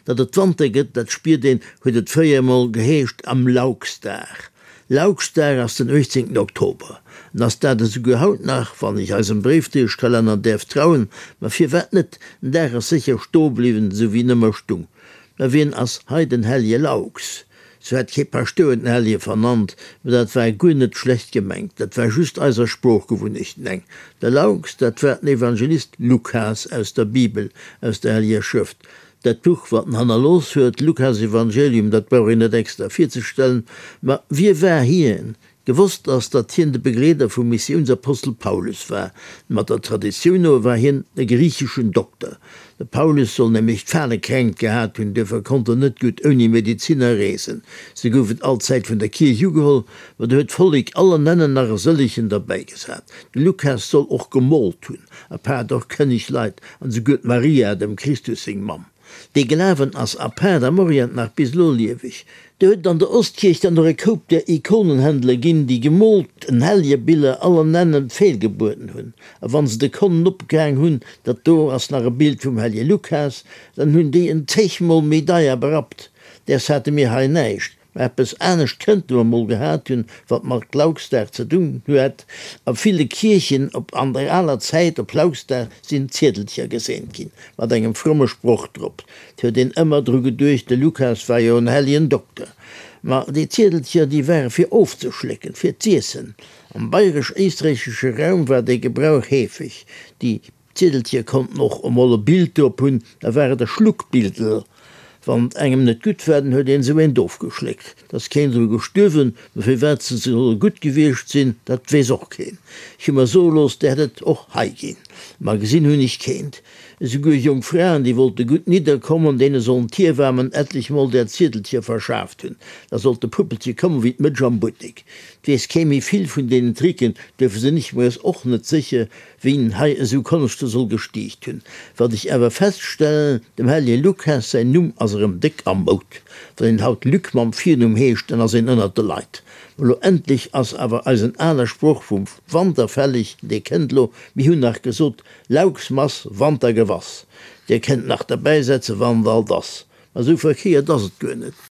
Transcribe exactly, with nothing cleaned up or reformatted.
Datt et Wanter gëtt, dat spiert een, huet et fréier emol geheescht, am Lauxdag. Lauxdag ass den uechtzéngten Oktober. En ass dat esouguer haut nach, wann ech eisem Bréifdréieschkalenner däerf trauen. Ma firwat net? Den Dag ass sécher stoe bliwwen, esou wéi en ëmmer stung. Mä wien ass hei den hellje Laux? Sou hätt kee Paschtouer den Hellje vernannt, mä dat war guer net schlecht gemengt, dat war just eiser Sproochgewunnechten eng. De Laux, dat war den Evangelist Lukas aus der Bibel, aus der Helljer Schrëft. Dat Buch, wat en hannerlooss huet, d'Lukasevangelium, dat brauch een net extra virzestellen. Ma wie war hien? Gewosst ass, datt hien de Begleeder vum Missiounsapostel Paulus war. Mat der Traditioun no war hien e griicheschen Dokter. De Paulus soll nämlech d'Falekränkt gehat hunn, duerfir konnt en net gutt ouni Medeziner reesen. Se goufen allzäit vun der Kierch ugeholl, ma do huet d'Vollek aller Nennen nach e sëllegen derbäigesat. De Lukas soll och gemoolt hunn, apaart och kënneg Leit an esouguer d'Maria, dem Christus seng Mamm. Dee Glawen ass apaart am Orient nach bis elo lieweg. Do huet et an der Ostkierch dann och e Koup där Ikonenhändler ginn, déi gemoolten Hellegebiller aller Nennen feelgebueden hunn. A wann se de Konnen opgehaang hunn, dat do ass nach e Bild vum Hellje Lukas, dann hunn déi en zegmol méi deier berappt. Däers hate mir hei näischt. Mä eppes anescht kënnte mer mol gehat hunn, wat mat Lauxdag ze dunn huet. A ville Kierchen op an der aler Zäit op Lauxdag sinn Ziedelcher geseent ginn, mat engem fromme Sproch drop. 't huet een ëmmer dru geduecht, de Lukas war jo en helljen Dokter. Ma déi Ziedelcher, déi ware fir ofzeschlécken, fir z'iessen. Am bayresch-éisträichesche Raum war dee Gebrauch heefeg. Déi Ziedelcher konnten och emol e Bild drop hunn, da war et e Schluckbildel. Wann et engem net gutt war, dann huet een esou eent ofgeschléckt. Et ass keen dru gestuerwen, mä firwat se solle gutt gewiescht sinn, dat weess och keen. Ech hu mer soe looss, där hätt et och hei ginn, ma gesinn hunn ech keent. Esouguer jonk Fraen, déi wollte gutt nidderkommen, deene sollen d'Hiewamen etlech mol där Ziedelcher verschaaft hunn. Da sollt de Puppelche kommen wéi d'Mëtsch am Buttek. Et weess kee méi vill vun deenen Tricken, duerfir sinn ech mer es och net sécher, Wien hei esou Konschte soll gestiicht hunn. Wat ech awer feststellen, dem Hellje Lukas säin Numm ass erëm déck am Moud. Wann een haut Luc mam Virnumm heescht, dann ass een ënnert de Leit. Ma lo endlech ass awer eisen ale Sproch vum Wanter fälleg, dee kënnt lo, mir hunn nach gesot, Lauxmass, Wanter gewass. Dir kennt nach derbäisetzen, wann et alt ass. Ma esou verkéiert ass et guer net.